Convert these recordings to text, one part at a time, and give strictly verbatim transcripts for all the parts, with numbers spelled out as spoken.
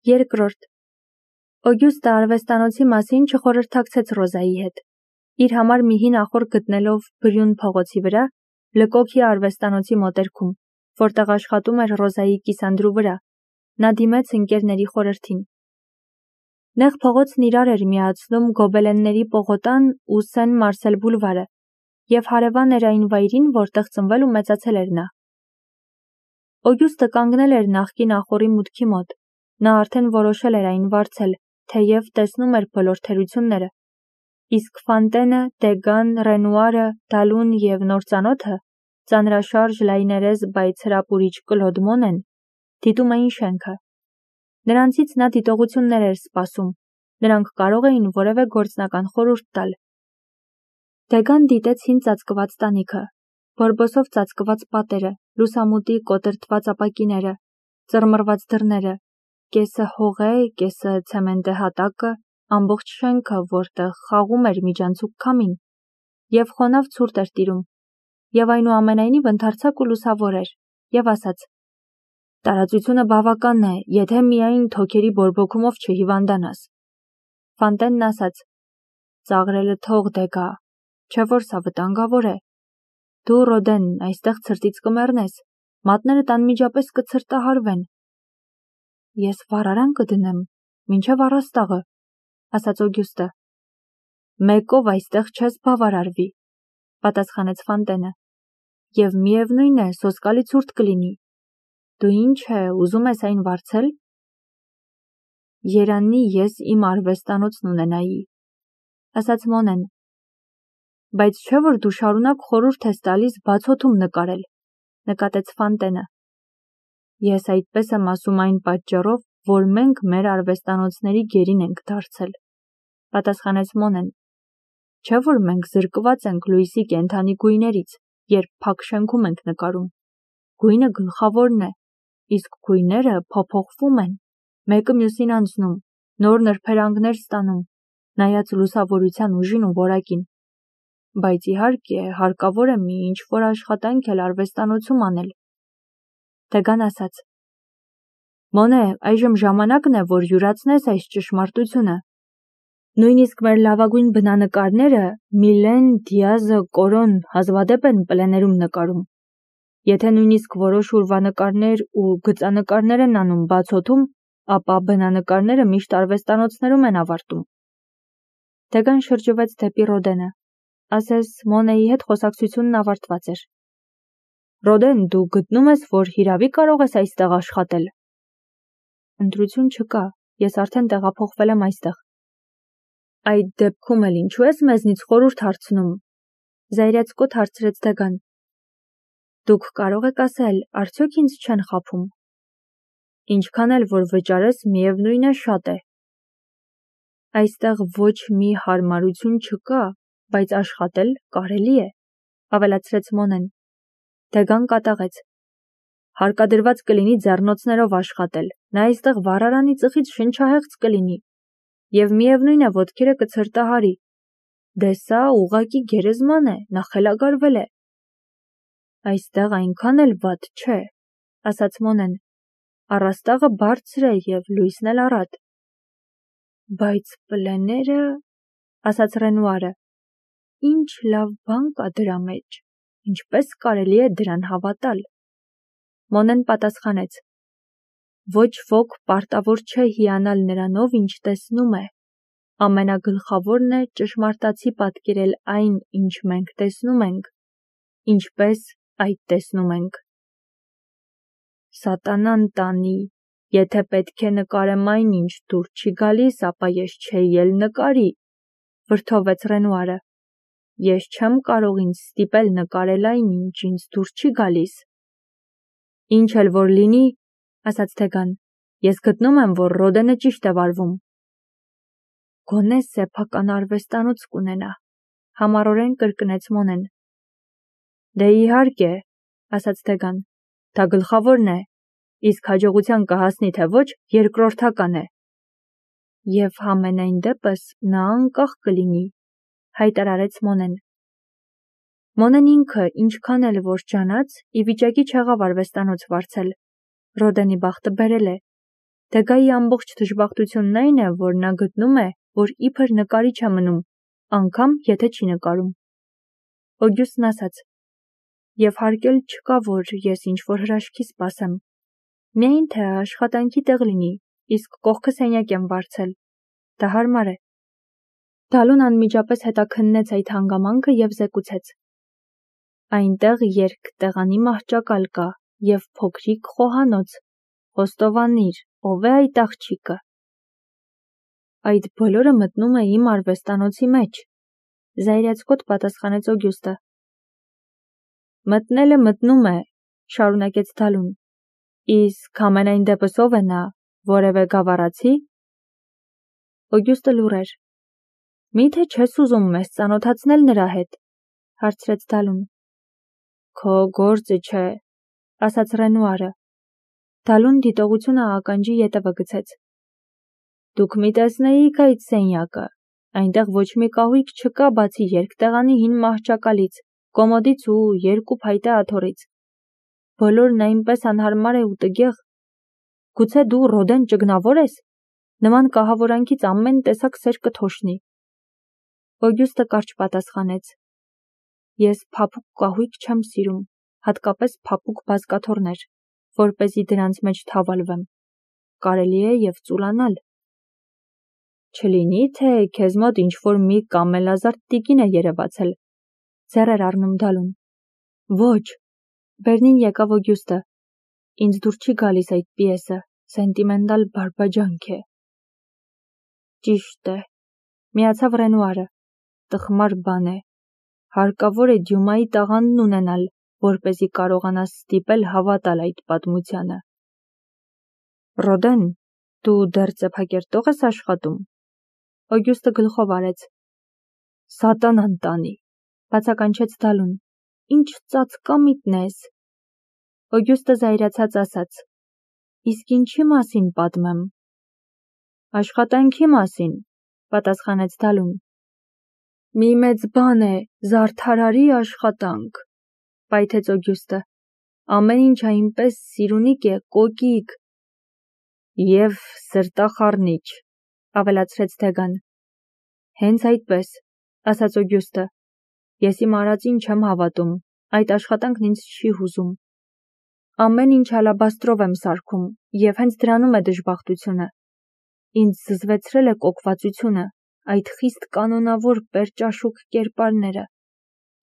Երկրորդ. Օգյուստը արվեստանոցի մասին չխորհրդակցեց Ռոզայի հետ։ Իր համար մի հին ախոր գտնելով Բրյուն փողոցի վրա, լկոքի արվեստանոցի մոտերքում, որտեղ աշխատում էր Ռոզայի կիսանդրու վրա, նա դիմեց ընկերների խորհրդին։ Նեղ փողոցն իրար էր միացնում գոբելենների պողոտան ու Սեն Մարսել բուլվարը և հարևան էր այն վայրին, որտեղ ծնվել ու մեծացել էր նա։ Օգյուստը կանգնել էր նախկին ախորի մուտքի մոտ, նա արդեն որոշել էր այն վարձել, թեև տեսնում էր բոլոր թերությունները, իսկ Ֆանտենը, Դեգան, Ռենուարը, Դալուն և նործանոթը, ծանրաշարժ լայներես բայց հրապուրիչ Կլոդ Մոնեն, դիտում էին շենքը։ Նրանցից նա դիտողություններ էր սպասում, նրանք կարող էին որևէ գործնական խորհուրդ տալ։ Դեգան դիտեց հին ծածկված տանիքը, բորբոսով ծածկված պատերը, լուսամուտի կոտրտված ապակիները, ծռմռված դռները, կեսը հողե, կեսը ցեմենտե հատակը, ամբողջ շենքը, որտեղ խաղում էր միջանցիկ քամին, և խոնավ ցուրտ էր տիրում, և այնուամենայնիվ ընդարձակ ու լուսավոր էր, և ասաց. «Տարածությունը բավական է, եթե միայն թոքերի բորբոքումով չհիվանդանաս»։ Ֆանտենն ասաց. «Ծաղրելը թող Դեգա, չէ որ սա վտանգավոր է։ Դու, Ռոդեն, այստեղ ցրտից կմեռնես, մատներդ անմիջապես կցրտահարվեն»։ «Ես վառարան կդնեմ, մինչև առաստաղը», ասաց Օգյուստը։ «Մեկով այստեղ չես բավարարվի», պատասխանեց Ֆանտենը, «և միևնույն է, սոսկալի ցուրտ կլինի։ Դու ինչ է, ուզում ես այն վարձել»։ «Երանի ես իմ արվեստանոցն ունենայի», ասաց Մոնեն։ «Բայց չէ որ դու շարունակ խորհուրդ ես տալիս բաց օդում նկարել», նկատեց Ֆանտենը։ «Ես այդպես եմ ասում այն պատճառով, որ մենք մեր արվեստանոցների գերին ենք դարձել», պատասխանեց Մոնեն։ «Չէ որ մենք զրկված ենք լույսի կենդանի գույներից, երբ փակ շենքում ենք նկարում։ Գույնը գլխավորն է, իսկ գույները փոփոխվում են, մեկը մյուսին անցնում, նոր նրբերանգներ ստանում, նայած լուսավորության ուժին ու որակին։ Բայց իհարկե հարկավոր է մի ինչ-որ աշխատանք էլ արվեստանոցում անել»։ Դեգան ասաց. «Մոնե, այժմ ժամանակն է, որ յուրացնես այս ճշմարտությունը։ Նույնիսկ մեր լավագույն բնանկարները Միլեն, Դիազը, Կորոն հազվադեպ են պլեներում նկարում։ Եթե նույնիսկ որոշ ուրվանկարներ ու գծանկարներ են անում բաց օդում, ապա բնանկարները միշտ արվեստանոցներում են ավարտում»։ Դեգան շրջվեց դեպի Ռոդենը, ասես Մոնեի հետ խոսակցությունն ավարտված էր։ «Ռոդեն, դու գտնում ես, որ հիրավի կարող ես այստեղ աշխատել»։ «Ընտրություն չկա, ես արդեն տեղափոխվել եմ այստեղ»։ «Այդ դեպքում էլ ինչու ես մեզնից խորհուրդ հարցնում», զայրացկոտ հարցրեց Դեգան։ «Դուք կարող եք ասել, արդյոք ինձ չեն խաբում»։ «Ինչքան էլ որ վճարես, միևնույն է շատ է»։ «Այստեղ ոչ մի հարմարություն չկա, բայց աշխատել կարելի է», ավելացրեց Մոնեն։ Դեգան կատաղեց. «Հարկադրված կլինի ձեռնոցներով աշխատել, նա այստեղ վառարանի ծխից շնչահեղձ կլինի, և միևնույն է ոտքերը կցրտահարի։ Դե սա ուղղակի գերեզման է, նա խելագարվել է»։ «Այստեղ այնքան էլ վատ չէ», ասաց Մոնեն։ «Առաստաղը բարձր է և լույսն էլ առատ»։ «Բայց պլեները», ասաց Ռենուարը, «ինչ լավ բան կա դրա մեջ, ինչպես կարելի է դրան հավատալ»։ Մոնեն պատասխանեց. «Ոչ ոք պարտավոր չէ հիանալ նրանով, ինչ տեսնում է։ Ամենագլխավորն է ճշմարտացի պատկերել այն, ինչ մենք տեսնում ենք, ինչպես այդ տեսնում ենք»։ «Սատանան տանի, եթե պետք է նկարեմ այն, ինչ դուր չի գալիս, ապա ես չէի էլ նկարի», վրդովվեց Ռենուարը։ «Ես չեմ կարող ինձ ստիպել նկարել այն, ինչ ինձ դուր չի գալիս»։ «Ինչ էլ որ լինի», ասաց Դեգան, «ես գտնում եմ, որ Ռոդենը ճիշտ է վարվում»։ «Գոնե սեփական արվեստանոց կունենա», համառորեն կրկնեց Մոնեն։ «Դե իհարկե», ասաց Դեգան, «դա գլխավորն է, իսկ հաջողության կհասնի թե ոչ, երկրորդական է»։ «Եվ համենայն դեպս նա անկախ կլինի», հայտարարեց Մոնեն։ Մոնեն ինքը ինչքան էլ որ ջանաց, ի վիճակի չեղավ արվեստանոց վարձել։ Ռոդենի բախտը բերել է։ Դեգայի ամբողջ դժբախտությունն այն է, որ նա գտնում է, որ իբր նկարիչ է մնում, անգամ եթե չի նկարում։ Օգյուստն ասաց. Եվ հարկ էլ չկա, որ ես ինչ-որ հրաշքի սպասեմ։ Միայն թե աշխատանքի տեղ լինի, իսկ կողքը սենյակ եմ վարձել։ Դա հարմար է։ Դալուն անմիջապես հետաքննեց այդ հանգամանքը և զեկուցեց. Այնտեղ երկտեղանի մահճակալ կա և փոքրիկ խոհանոց։ Խոստովանիր, ով է այդ աղջիկը։ Այդ բոլորը մտնում է իմ արվեստանոցի մեջ, զայրացկոտ պատասխանեց Օգյուստը։ Մտնելը մտնում է, շարունակեց Դալուն։ Իսկ ամենայն դեպս ով է նա, որևէ գավառացի։ Օգյուստը լուռ էր։ Միթե չես ուզում մեզ ծանոթացնել նրա հետ, հարցրեց Դալուն։ Քո գործը չէ, ասաց Ռենուարը։ Դալուն դիտողությունը ականջի ետևը գցեց։ Դուք մի տեսնեիք այդ սենյակը, այնտեղ ոչ մի կահույք չկա բացի երկտեղանի հին մահճակալից, կոմոդից ու երկու փայտե աթոռից։ Բոլորն այնպես անհարմար է ու տգեղ։ Գուցե դու Ռոդեն ճգնավոր ես։ Նման կահավորանքից ամեն տեսակ սեր կթոշնի։ Օգյուստը կարճ պատասխանեց. Ես փափուկ կահույք չեմ սիրում, հատկապես փափուկ բազկաթոռներ, որպեսզի դրանց մեջ թավալվեմ։ Կարելի է և ծուլանալ։ Չլինի, թե քեզ մոտ ինչ-որ մի կամելազարդ տիկին է երևացել, ձեռ էր առնում Դալուն։ Ոչ, վերնին եկավ Օգյուստը։ Ինձ դուր չի գալիս այդ պիեսը, սենտիմենտալ բարբաջանք է։ Ճիշտ է, միացավ Ռենուարը, տխմար բան է։ Հարկավոր է Դյումայի տաղանդն ունենալ, որպեսզի կարողանաս ստիպել հավատալ այդ պատմությանը։ Ռոդեն, դու դեռ ծեփակերտող ես աշխատում։ Օգյուստը գլխով արեց։ Սատանան տանի, բացականչեց Դալուն։ Ինչ ծածկամիտն ես։ Օգյուստը զայրացած ասաց. Իսկ ինչի մասին պատմեմ։ Աշխատանքի մասին, պատասխանեց Դալուն։ Մի մեծ բան է, զարդարարի աշխատանք, պայթեց Օգյուստը։ Ամեն ինչ այնպես սիրունիկ է, կոկիկ։ Եվ սրտախառնիչ, ավելացրեց Դեգան։ Հենց այդպես, ասաց Օգյուստը։ Ես իմ արածին չեմ հավատում, այդ աշխատանքն ինձ չի հուզում։ Ամեն ինչ ալաբաստրով եմ սարքում, և հենց դրանում է դժբախտությունը։ Ինձ զզվեցրել է կոկվածությունը, այդ խիստ կանոնավոր պերճաշուք կերպարները։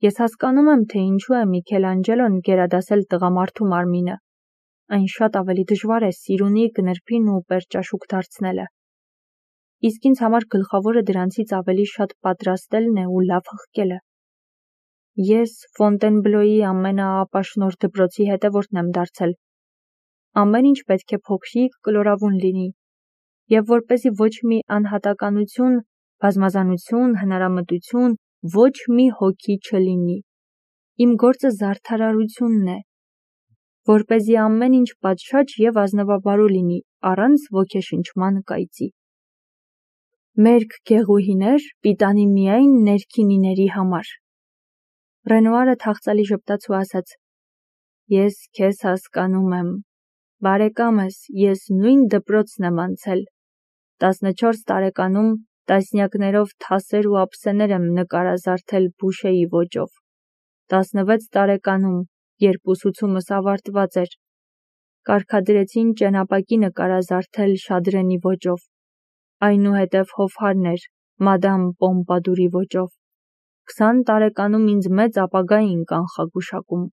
Ես հասկանում եմ, թե ինչու է Միքելանջելոն գերադասել տղամարդու մարմինը։ Այն շատ ավելի դժվար է սիրունիկ, նրբին ու պերճաշուք դարձնելը։ Իսկ ինձ համար գլխավորը դրանցից ավելի շատ պատրաստելն է ու լավ հղկելը։ Ես Ֆոնտենբլոյի ամենաապաշնորհ դպրոցի հետևորդն եմ դարձել։ Ամեն ինչ պետք է փոքրիկ, կլորավուն լինի, և որպեսզի ոչ մի անհատականություն, բազմազանություն, հնարամտություն, ոչ մի հոգի չլինի։ Իմ գործը զարդարարությունն է, որպեսզի ամեն ինչ պատշաճ և ազնվաբարու լինի, առանց ոգեշնչման կայծի։ Մերկ գեղուհիներ, պիտանի միայն ներքինիների համար։ Ռենուարը թախծալի ժպտաց ու ասաց. Ես քեզ հասկանում եմ։ Բարեկամս, ես նույն դպրոցն եմ անցել։ տասնչորս տարեկանում տասնյակներով թասեր ու ափսեներ եմ նկարազարդել Բուշեի ոճով։ տասնվեց տարեկանում, երբ ուսուցումս ավարտված էր, կարգադրեցին ճենապակի նկարազարդել Շադրենի ոճով, այնուհետև Հովհարներ, Մադամ Պոմպադուրի ոճով։ Քսան տարեկանում ինձ մեծ ապագա էին կանխագուշակում։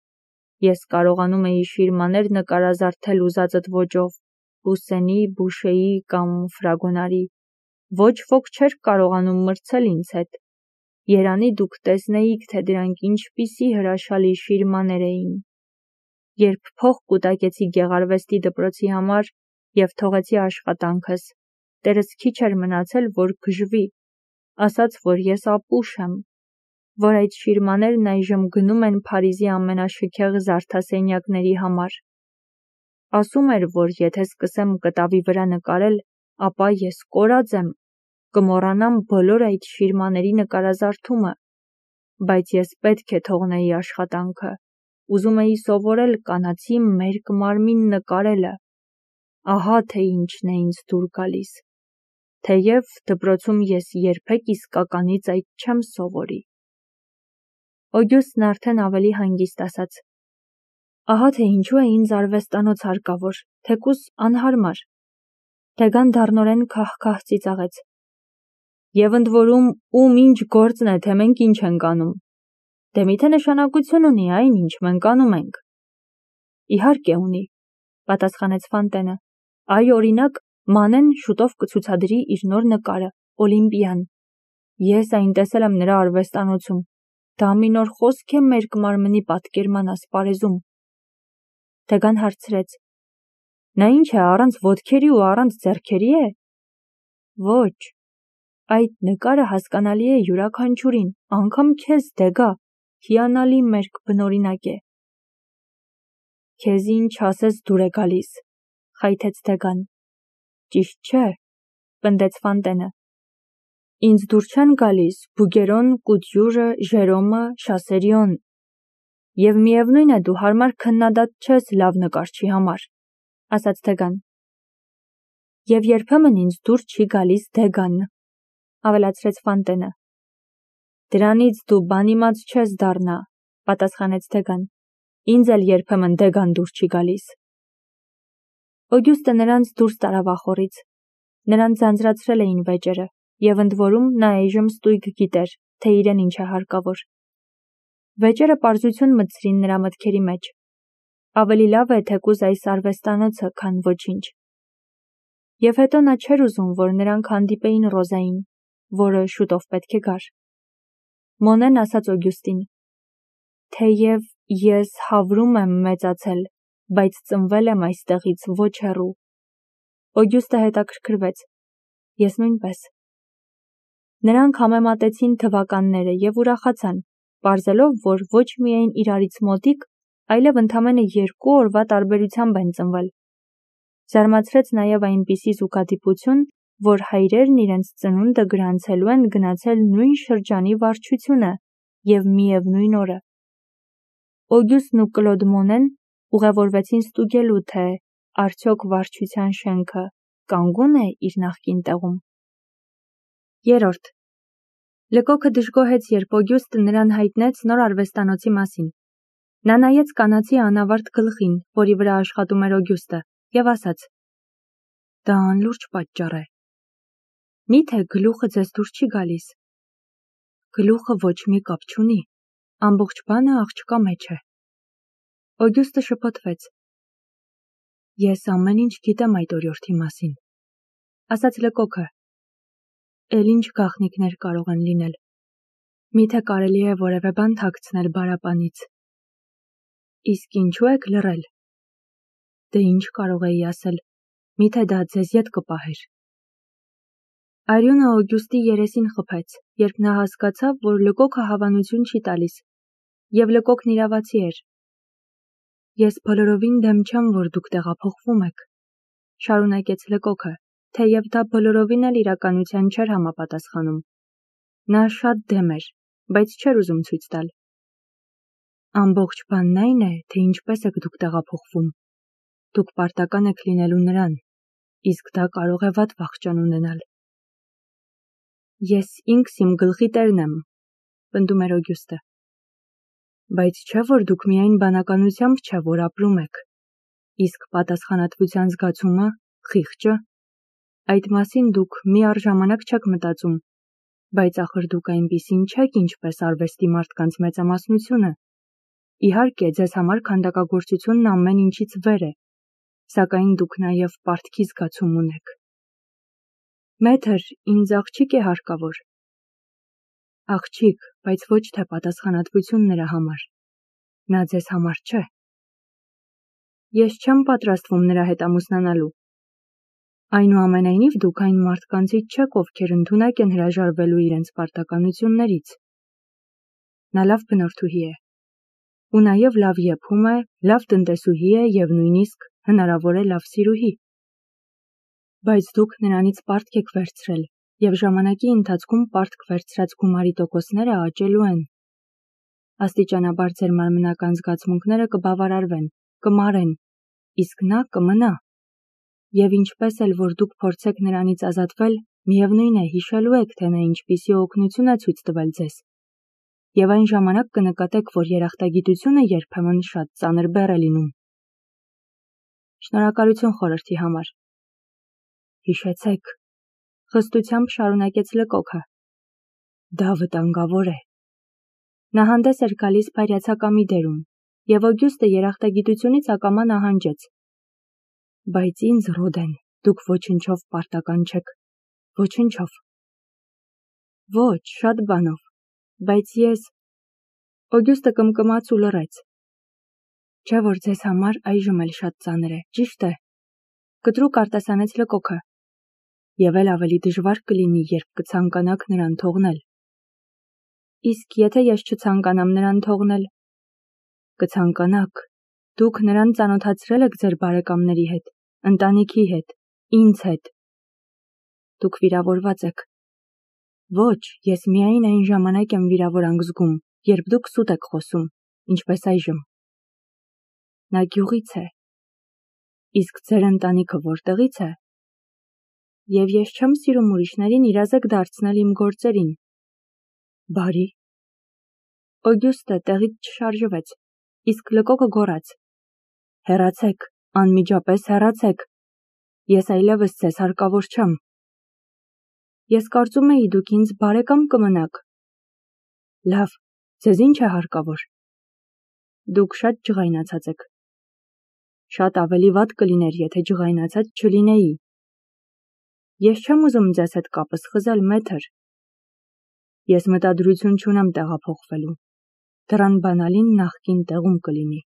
Ես կարողանում էի շիրմաներ նկարազարդել ուզածդ ոճով, Պուսսենի, Բուշեի կամ Ֆրագոնարի։ Ոչ ոք չէր կարողանում մրցել ինձ հետ։ Երանի դուք տեսնեիք, թե դրանք ինչպիսի հրաշալի շիրմաներ էին։ Երբ փող կուտակեցի գեղարվեստի դպրոցի համար և թողեցի աշխատանքս, տերս քիչ էր մնացել, որ գժվի, ասաց, որ ես ապուշ եմ, որ այդ շիրմաներն այժմ գնում են Փարիզի ամենաշքեղ զարդասենյակների համար։ Ասում էր, որ եթե սկսեմ կտավի վրա նկարել, ապա ես կորած եմ, կմոռանամ բոլոր այդ շիրմաների նկարազարդումը, բայց ես պետք է թողնեի աշխատանքը, ուզում էի սովորել կանացի մերկ մարմին նկարելը։ ահա թե ինչն է ինձ դուր գալիս, թեև դպրոցում ես երբեք իսկականից այդ չեմ սովորի։ Օգյուստն արդեն ավելի հանգիստ ասաց. Ահա թե ինչու է ինձ արվեստանոց հարկավոր, թեկուզ անհարմար։ Թեգան դառնորեն քահ-քահ ծիծաղեց։ Եվ ընդ որում ում ինչ գործն է, թե մենք ինչ ենք անում։ Դե միթե նշանակություն ունի այն, ինչ մենք անում ենք։ Իհարկե ունի, պատասխանեց Ֆանտենը։ Այ օրինակ, Մանեն շուտով կցուցադրի իր նոր նկարը, Օլիմպիան։ Ես այն տեսել եմ նրա արվեստանոցում։ Դա մի նոր խոսք է մերկ մարմնի պատկերման ասպարեզում։ Թեգան հարցրեց. Նա ինչ է, առանց ոտքերի ու առանց ձեռքերի է։ Ոչ, այդ նկարը հասկանալի է յուրաքանչյուրին, անգամ քեզ Դեգա, հիանալի մերկ բնօրինակ է։ Քեզ ինչ ասես դուր է գալիս, խայթեց Դեգան։ Ճիշտ չէ, պնդեց Ֆանտենը։ Ինձ դուր չեն գալիս Բուգերոն, Կուտյուրը, Ժերոմը, Շասերիոն։ Եվ միևնույն է դու հարմար քննադատ չես լավ նկարչի համար, ասաց Դեգան։ Եվ երբեմն ինձ դուր չի գալիս Դեգան, ավելացրեց Ֆանտենը։ Դրանից դու բանիմաց չես դառնա, պատասխանեց Դեգան։ Ինձ էլ երբեմն Դեգան դուր չի գալիս։ Օգյուստը նրանց դուրս տարավ ախորից։ Նրան ձանձրացրել էին վեճերը, եւ ընդ որում նա այժմ ստույգ գիտեր, թե իրեն ինչ է հարկավոր։ Վեճերը պարզություն մտցրին նրա մտքերի մեջ։ Ավելի լավ է թեկուզ այս արվեստանոցը, քան ոչինչ։ Եվ հետո նա չէր ուզում, որ նրանք հանդիպեին Ռոզային, որը շուտով պետք է գար։ Մոնեն ասաց Օգյուստին. Թեև ես Հավրում եմ մեծացել, բայց ծնվել եմ այստեղից ոչ հեռու։ Օգյուստը հետաքրքրվեց. Ես նույնպես։ Նրանք համեմատեցին թվականները եւ ուրախացան, պարզելով, որ ոչ միայն իրարից մոտիկ, այլև ընդամենը երկու օրվա տարբերությամբ են ծնվել։ Զարմացրեց նաև այնպիսի զուգադիպություն, որ հայրերն իրենց ծնունդը գրանցելու են գնացել նույն շրջանի վարչությունը եւ միևնույն օրը։ Օգյուստն ու Կլոդ Մոնեն ուղևորվեցին ստուգելու, թե արդյոք վարչության շենքը կանգուն է իր նախկին տեղում։ Երորդ. Լկոքը դժգոհեց, երբ Օգյուստը նրան հայտնեց նոր արվեստանոցի մասին։ Նա նայեց կանացի անավարտ գլխին, որի վրա աշխատում էր Օգյուստը, եւ ասաց. Դա անլուրջ պատճառ է։ Միթե գլուխը ձեզ դուր չի գալիս։ Գլուխը ոչ մի կապ չունի, ամբողջ բանը աղջկա մեջ է։ Օգյուստը շփոթվեց։ Ես ամեն ինչ գիտեմ այդ օրիորդի մասին, ասաց Լկոքը։ Էլ ինչ գաղտնիքներ կարող են լինել։ Միթե կարելի է որևէ բան թաքցնել բարապանից։ Իսկ ինչու եք լռել։ Դե ինչ կարող էի ասել, միթե դա ձեզ ետ կպահեր։ Արյունը Օգյուստի երեսին խփեց, երբ նա հասկացավ, որ Լկոքը հավանություն չի տալիս, եւ Լկոքն իրավացի էր։ Ես բոլորովին դեմ չեմ, որ դուք տեղափոխվում եք, շարունակեց Լկոքը, թեև դա բոլորովին էլ իրականության չէր համապատասխանում։ Նա շատ դեմ էր, բայց չէր ուզում ցույց տալ։ Ամբողջ բանն այն է, թե ինչպես եք դուք տեղափոխվում։ Դուք պարտական եք լինելու նրան, իսկ դա կարող է վատ վախճան ունենալ։ Ես ինքս իմ գլխի տերն եմ, պնդում էր Օգյուստը։ Բայց չէ, որ դուք միայն բանականությամբ չէ, որ ապրում եք, իսկ պատասխանատվության զգացումը, խիղճը, այդ մասին դուք միառժամանակ չեք մտածում, բայց ախր դուք այնպիսին չեք, ինչպես արվեստի մարդկանց մեծամասնությունը։ Իհարկե, ձեզ համար քանդակագործությունն ամեն ինչից վեր է, սակայն դուք նաև պարտքի զգացում ունեք։ Մեթր, ինձ աղջիկ է հարկավոր։ Աղջիկ, բայց ոչ թե պատասխանատվություն նրա համար։ Նա ձեզ համար չէ։ Ես չեմ պատրաստվում նրա հետ ամուսնանալու։ Այնուամենայնիվ դուք այն մարդկանցից չեք, ովքեր ընդունակ են հրաժարվելու իրենց պարտականություններից։ Նա լավ բնորդուհի է։ Ու նաև լավ եփում է, լավ տնտեսուհի է եւ նույնիսկ հնարավոր է լավ սիրուհի։ Բայց դուք նրանից պարտք եք վերցրել եւ ժամանակի ընթացքում պարտք վերցրած գումարի տոկոսները աճելու են։ Աստիճանաբար ձեր մարմնական զգացմունքները կբավարարվեն, կմարեն, իսկ նա կմնա։ Եվ ինչպես էլ որ դուք փորձեք նրանից ազատվել, միևնույն է հիշելու եք, թե նա ինչպիսի օգնություն է ցույց տվել ձեզ։ Եվ այն ժամանակ կնկատեք, որ երախտագիտությունը երբեմն շատ ծանր բեռ է լինում։ Շնորհակալություն խորհրդի համար։ Հիշեցեք, խստությամբ շարունակեց Լկոքը։ Դա վտանգավոր է։ Նա հանդես էր գալիս փայրացակամի դերում, եւ Օգյուստը երախտագիտությունից ակամա նահանջեց։ Բայց ինձ, Ռոդեն, դուք ոչնչով պարտական չեք, ոչնչով։ Ոչ, շատ բանով, բայց ես… Օգյուստը կմկմաց ու լռեց։ Չէ՞ որ ձեզ համար այժմ էլ շատ ծանր է, ճիշտ է, կտրուկ արտասանեց Լկոքը։ Եվ էլ ավելի դժվար կլինի, երբ կցանկանաք նրան թողնել։ Իսկ եթե ես չցանկանամ նրան թողնել։ Կցանկանաք, դուք նրան ծանոթացրել եք ձեր բարեկամների հետ, ընտանիքի հետ, ինձ հետ։ Դուք վիրավորված եք։ Ոչ, ես միայն այն ժամանակ եմ վիրավորանք զգում, երբ դուք սուտ եք խոսում, ինչպես այժմ։ Նա գյուղից է։ Իսկ ձեր ընտանիքը որտեղից է։ Եվ ես չեմ սիրում ուրիշներին իրազեկ դարձնել իմ գործերին։ Բարի։ Օգյուստը տեղից չշարժվեց, իսկ Լկոքը գոռաց. Հեռացեք, անմիջապես հեռացեք։ Ես այլևս ձեզ հարկավոր չեմ։ Ես կարծում էի դուք ինձ բարեկամ կմնաք։ Լավ, ձեզ ինչ է հարկավոր։ Դուք շատ ջղայնացած եք։ Շատ ավելի վատ կլիներ, եթե ջղայնացած չլինեի։ Ես չեմ ուզում ձեզ հետ կապս խզել, մեթր։ Ես մտադրություն չունեմ տեղափոխվելու։ Դռան բանալին նախկին տեղում կլինի։